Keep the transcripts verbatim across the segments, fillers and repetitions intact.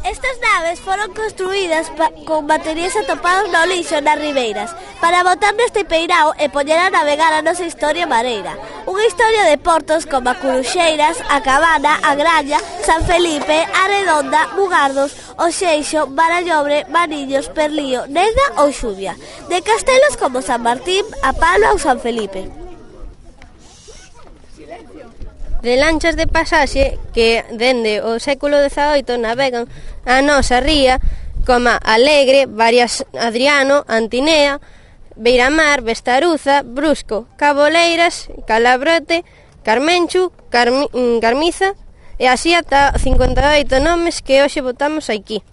Estas naves foron construídas pa, con materiais atopados no lixo nas ribeiras para botar neste peirao e poñer a navegar a nosa historia mareira. Unha historia de portos como a Curuxeiras, a Cabana, a Graña, San Felipe, a Redonda, Mugardos, o Xeixo, Barallobre, Maniños, Perlío, Neda ou Xuvia. De castelos como San Martín, a Palo ou San Felipe. De lanchas de pasaxe que dende o século dezaoito navegan a nosa ría como Alegre, Varias Adriano, Antinea, Beiramar, Vestaruza, Brusco, Caboleiras, Calabrote, Carmenchu, Carmi, Carmiza e así ata cincuenta e oito nomes que hoxe botamos aquí.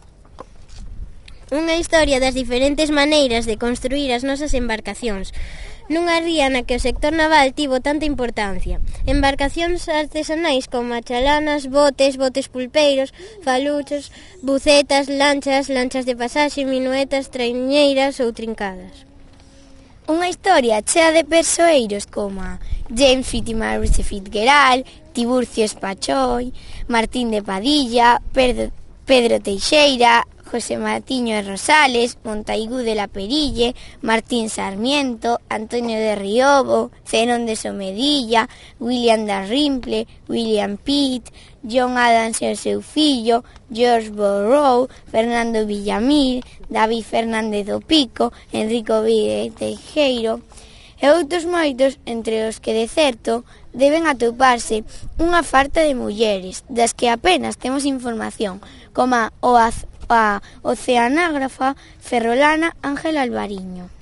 Unha historia das diferentes maneiras de construir as nosas embarcacións nunha ría na que o sector naval tivo tanta importancia. Embarcacións artesanais como chalanas, botes, botes pulpeiros, faluchos, bucetas, lanchas, lanchas de pasaxe, minuetas, traiñeiras ou trincadas. Unha historia chea de persoeiros como James Fitzmaurice Fitzgerald, Tiburcio Espachoi, Martín de Padilla, Pedro, Pedro Teixeira, José Matiño de Rosales, Montaigú de la Perille, Martín Sarmiento, Antonio de Riobo, Zenón de Somedilla, William Dalrymple, William Pitt, John Adams e o seu fillo, George Borrow, Fernando Villamil, David Fernández do Pico, Enrico Vide Teijeiro e outros moitos, entre os que de certo deben atoparse unha farta de mulleres das que apenas temos información, como o az a oceanágrafa ferrolana Ángela Alvariño.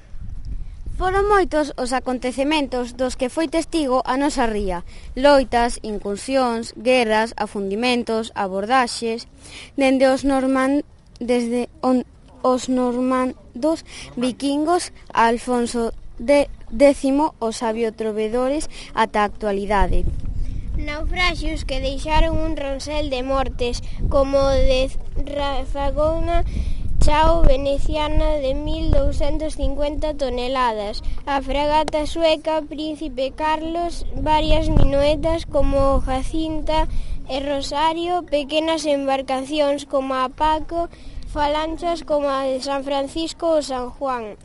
Foron moitos os acontecementos dos que foi testigo a nosa ría. Loitas, incursións, guerras, afundimentos, abordaxes, dende os norman desde on, os normandos vikingos a Alfonso de décimo os sabio trovedores ata a actualidade. Naufraxios que deixaron un ronsel de mortes, como o de Rafagona Chao veneciana de mil douscentos cincuenta toneladas, a fragata sueca Príncipe Carlos, varias minuetas como Jacinta e Rosario, pequenas embarcacións como a Paco, falanchas como a de San Francisco ou San Juan,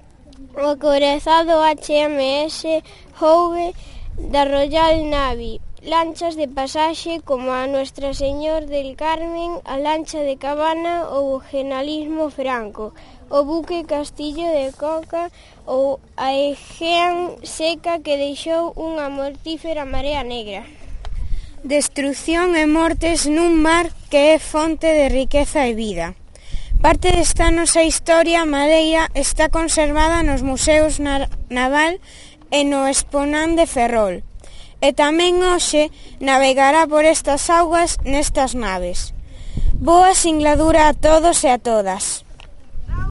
o acorazado H M S Howe da Royal Navy, lanchas de pasaxe como a Nuestra Señor del Carmen, a lancha de Cabana ou o Generalísimo Franco, o buque Castillo de Coca ou a Egean seca que deixou unha mortífera marea negra. Destrución e mortes nun mar que é fonte de riqueza e vida. Parte desta nosa historia madeira está conservada nos museos naval e no Exponan de Ferrol. E tamén hoxe navegará por estas augas nestas naves. Boa singladura a todos e a todas.